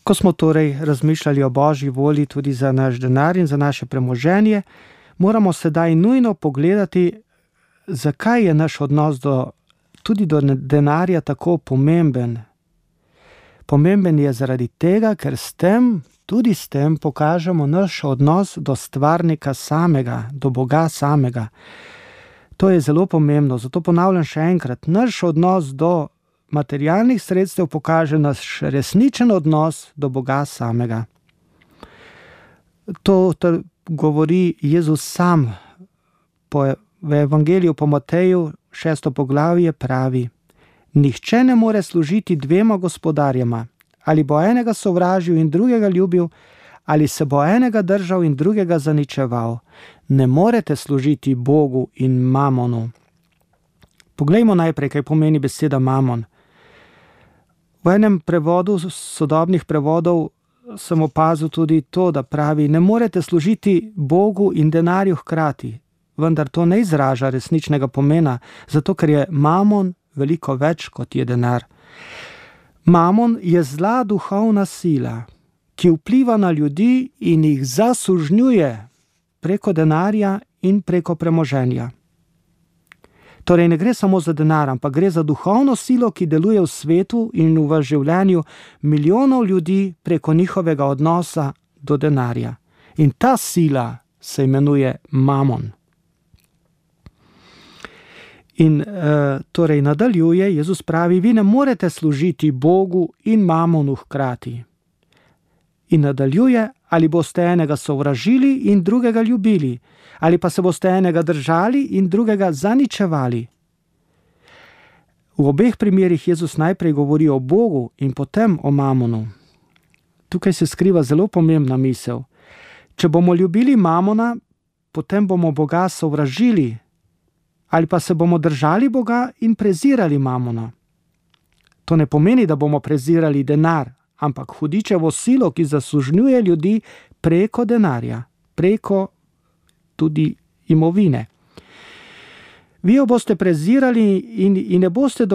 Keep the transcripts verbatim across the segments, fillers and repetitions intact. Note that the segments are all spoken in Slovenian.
Ko smo torej razmišljali o Božji volji tudi za naš denar in za naše premoženje, moramo sedaj nujno pogledati, zakaj je naš odnos do, tudi do denarja tako pomemben. Pomemben je zaradi tega, ker s tem, tudi s tem pokažemo naš odnos do stvarnika samega, do Boga samega. To je zelo pomembno, zato ponavljam še enkrat, naš odnos do materialnih sredstev pokaže naš resničen odnos do Boga samega. To, to govori Jezus sam po, v Evangeliju po Mateju, šesto poglavje pravi: Nihče ne more služiti dvema gospodarjema, ali bo enega sovražil in drugega ljubil, ali se bo enega držal in drugega zaničeval. Ne morete služiti Bogu in mamonu. Poglejmo najprej, kaj pomeni beseda mamon. V enem prevodu, sodobnih prevodov, sem opazil tudi to, da pravi: ne morete služiti Bogu in denarju hkrati. Vendar to ne izraža resničnega pomena, zato ker je mamon veliko več, kot je denar. Mamon je zla duhovna sila, ki vpliva na ljudi in jih zasužnjuje preko denarja in preko premoženja. Torej ne gre samo za denar, ampak gre za duhovno silo, ki deluje v svetu in v življenju milijonov ljudi preko njihovega odnosa do denarja. In ta sila se imenuje mamon. In uh, torej nadaljuje, Jezus pravi: vi ne morete služiti Bogu in mamonu hkrati. In nadaljuje: ali boste enega sovražili in drugega ljubili, ali pa se boste enega držali in drugega zaničevali. V obeh primerih Jezus najprej govori o Bogu in potem o mamonu. Tukaj se skriva zelo pomembna misel. Če bomo ljubili mamona, potem bomo Boga sovražili, ali pa se bomo držali Boga in prezirali mamona. To ne pomeni, da bomo prezirali denar, ampak hudičevo silo, ki zasužnjuje ljudi preko denarja, preko tudi imovine. Vi jo boste prezirali in, in ne boste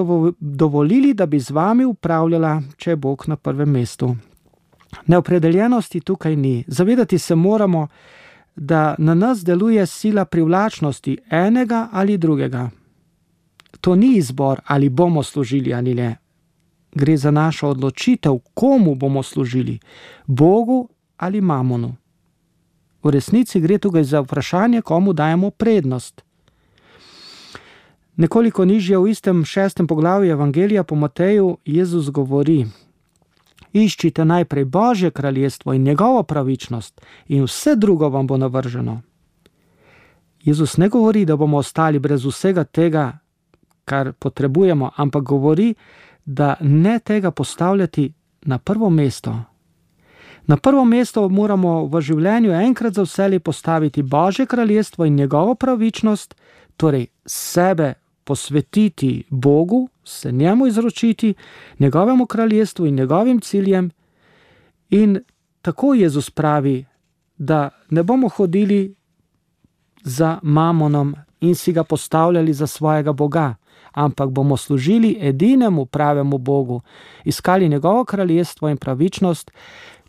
dovolili, da bi z vami upravljala, če je Bog na prvem mestu. Neopredeljenosti tukaj ni. Zavedati se moramo, da na nas deluje sila privlačnosti enega ali drugega. To ni izbor, ali bomo služili ali ne. Gre za našo odločitev, komu bomo služili, Bogu ali mamonu. V resnici gre tukaj za vprašanje, komu dajemo prednost. Nekoliko nižje v istem šestem poglavju Evangelija po Mateju Jezus govori: iščite najprej Božje kraljestvo in njegovo pravičnost in vse drugo vam bo navrženo. Jezus ne govori, da bomo ostali brez vsega tega, kar potrebujemo, ampak govori, da ne tega postavljati na prvo mesto. Na prvo mesto moramo v življenju enkrat za vselej postaviti Božje kraljestvo in njegovo pravičnost, torej sebe posvetiti Bogu, se njemu izročiti, njegovemu kraljestvu in njegovim ciljem. In tako Jezus pravi, da ne bomo hodili za mamonom in si ga postavljali za svojega Boga, ampak bomo služili edinemu pravemu Bogu, iskali njegovo kraljestvo in pravičnost.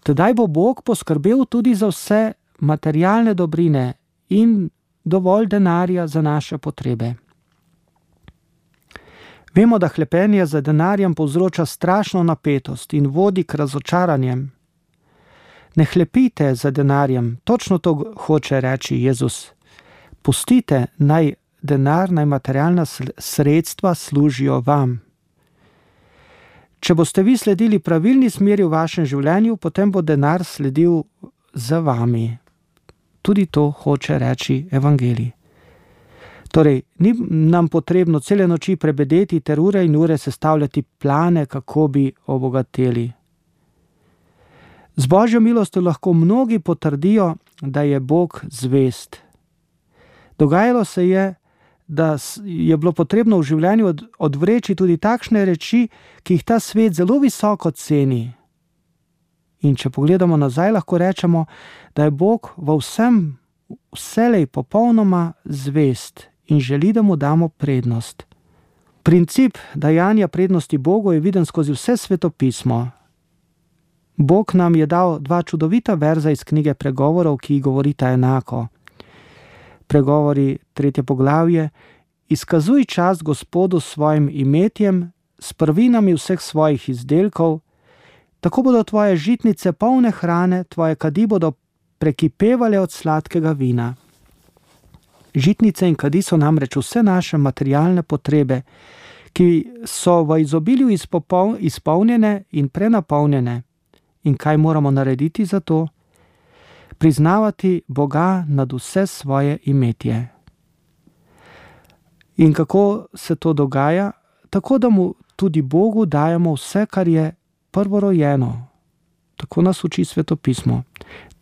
Tedaj bo Bog poskrbel tudi za vse materialne dobrine in dovolj denarja za naše potrebe. Vemo, da hlepenje za denarjem povzroča strašno napetost in vodi k razočaranjem. Ne hlepite za denarjem, točno to hoče reči Jezus. Pustite, naj denar, naj materialna sredstva služijo vam. Če boste vi sledili pravilni smeri v vašem življenju, potem bo denar sledil za vami. Tudi to hoče reči Evangelij. Torej, ni nam potrebno cele noči prebedeti ter ure in ure sestavljati plane, kako bi obogateli. Z Božjo milostjo lahko mnogi potrdijo, da je Bog zvest. Dogajalo se je, da je bilo potrebno v življenju odvreči tudi takšne reči, ki jih ta svet zelo visoko ceni. In če pogledamo nazaj, lahko rečemo, da je Bog v vsem vselej popolnoma zvest in želi, da mu damo prednost. Princip dajanja prednosti Bogu je viden skozi vse svetopismo. Bog nam je dal dva čudovita verza iz knjige Pregovorov, ki govorita enako. Pregovori, tretje poglavje: izkazuj čast Gospodu s svojim imetjem, s prvinami vseh svojih izdelkov, tako bodo tvoje žitnice polne hrane, tvoje kadi bodo prekipevale od sladkega vina. Žitnice in kadi so namreč vse naše materialne potrebe, ki so v izobilju izpolnjene in prenapolnjene. In kaj moramo narediti za to? Priznavati Boga nad vse svoje imetje. In kako se to dogaja? Tako, da mu tudi Bogu dajemo vse, kar je prvorojeno. Tako nas uči Sveto pismo.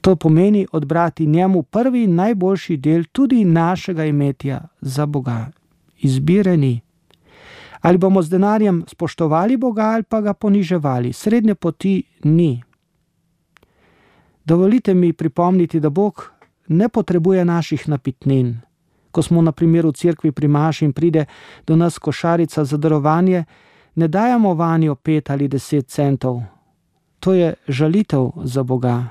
To pomeni odbrati njemu prvi in najboljši del tudi našega imetja za Boga. Izbire ni. Ali bomo z denarjem spoštovali Boga ali pa ga poniževali. Srednje poti ni. Dovolite mi pripomniti, da Bog ne potrebuje naših napitnin. Ko smo na primer v cerkvi pri maši in pride do nas košarica za darovanje, ne dajemo vanjo pet ali deset centov. To je žalitev za Boga.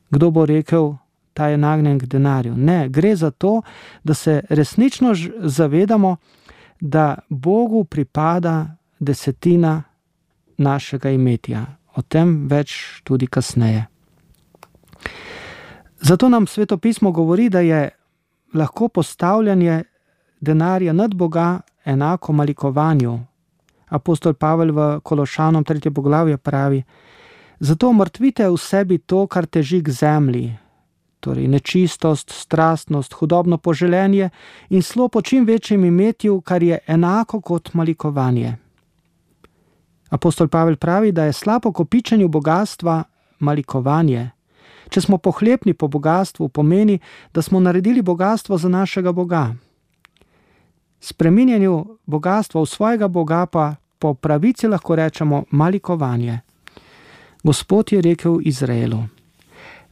Kdo bo rekel, ta je nagnjen k denarju? Ne, gre za to, da se resnično zavedamo, da Bogu pripada desetina našega imetja. O tem več tudi kasneje. Zato nam Sveto pismo govori, da je lahko postavljanje denarja nad Boga enako malikovanju. Apostol Pavel v Kološanom tretje poglavje pravi: zato mrtvite v sebi to, kar teži k zemlji, torej nečistost, strastnost, hudobno poželenje in slo po čim večjem imetju, kar je enako kot malikovanje. Apostol Pavel pravi, da je slabo kopičenju bogatstva malikovanje. Če smo pohlepni po bogatstvu, pomeni, da smo naredili bogatstvo za našega Boga. Spreminjanju bogatstva v svojega Boga pa po pravici lahko rečemo malikovanje. Gospod je rekel Izraelu: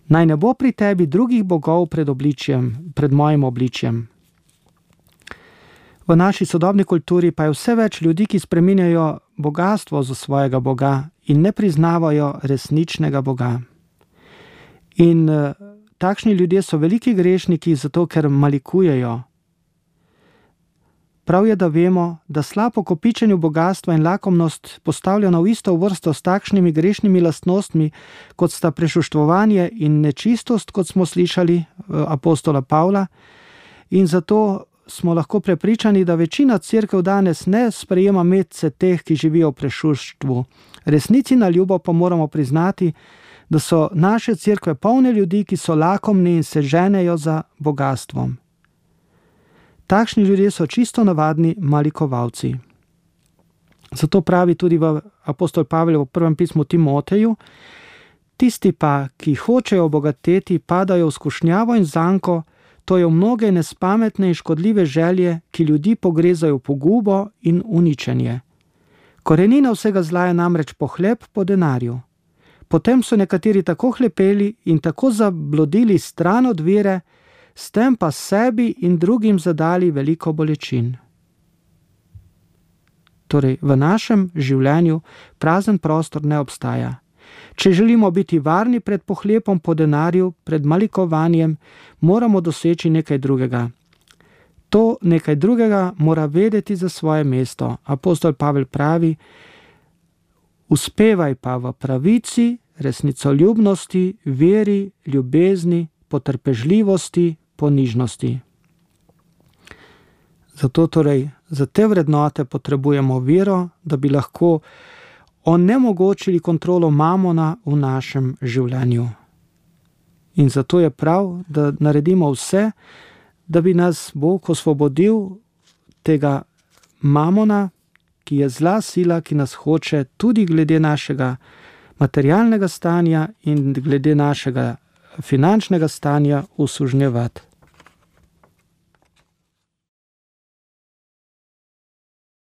naj ne bo pri tebi drugih bogov pred obličjem, pred mojim obličjem. V naši sodobni kulturi pa je vse več ljudi, ki spreminjajo bogatstvo za svojega Boga in ne priznavajo resničnega Boga. In uh, takšni ljudje so veliki grešniki, zato ker malikujejo. Prav je, da vemo, da slabo kopičenju bogatstva in lakomnost postavljena v isto vrsto s takšnimi grešnimi lastnostmi, kot sta prešuštvovanje in nečistost, kot smo slišali apostola Pavla, in zato smo lahko prepričani, da večina cerkev danes ne sprejema medse teh, ki živijo v prešuštvu. Resnici na ljubo pa moramo priznati, da so naše cerkve polne ljudi, ki so lakomni in se ženejo za bogastvom. Takšni ljudje so čisto navadni malikovalci. Zato pravi tudi v apostol Pavel v prvem pismu Timoteju: tisti pa, ki hočejo obogateti, padajo v skušnjavo in zanko, to je v mnoge nespametne in škodljive želje, ki ljudi pogrezajo v pogubo in uničenje. Korenina vsega zla je namreč pohlep po denarju. Potem so nekateri tako hlepeli in tako zablodili stran od vere, s tem pa sebi in drugim zadali veliko bolečin. Torej, v našem življenju prazen prostor ne obstaja. Če želimo biti varni pred pohlepom po denarju, pred malikovanjem, moramo doseči nekaj drugega. To nekaj drugega mora vedeti za svoje mesto. Apostol Pavel pravi: uspevaj pa v pravici, resnicoljubnosti, veri, ljubezni, potrpežljivosti, ponižnosti. Zato torej za te vrednote potrebujemo vero, da bi lahko onemogočili kontrolo mamona v našem življenju. In zato je prav, da naredimo vse, da bi nas Bog osvobodil tega mamona, ki je zla sila, ki nas hoče tudi glede našega materialnega stanja in glede našega finančnega stanja usužnjevati.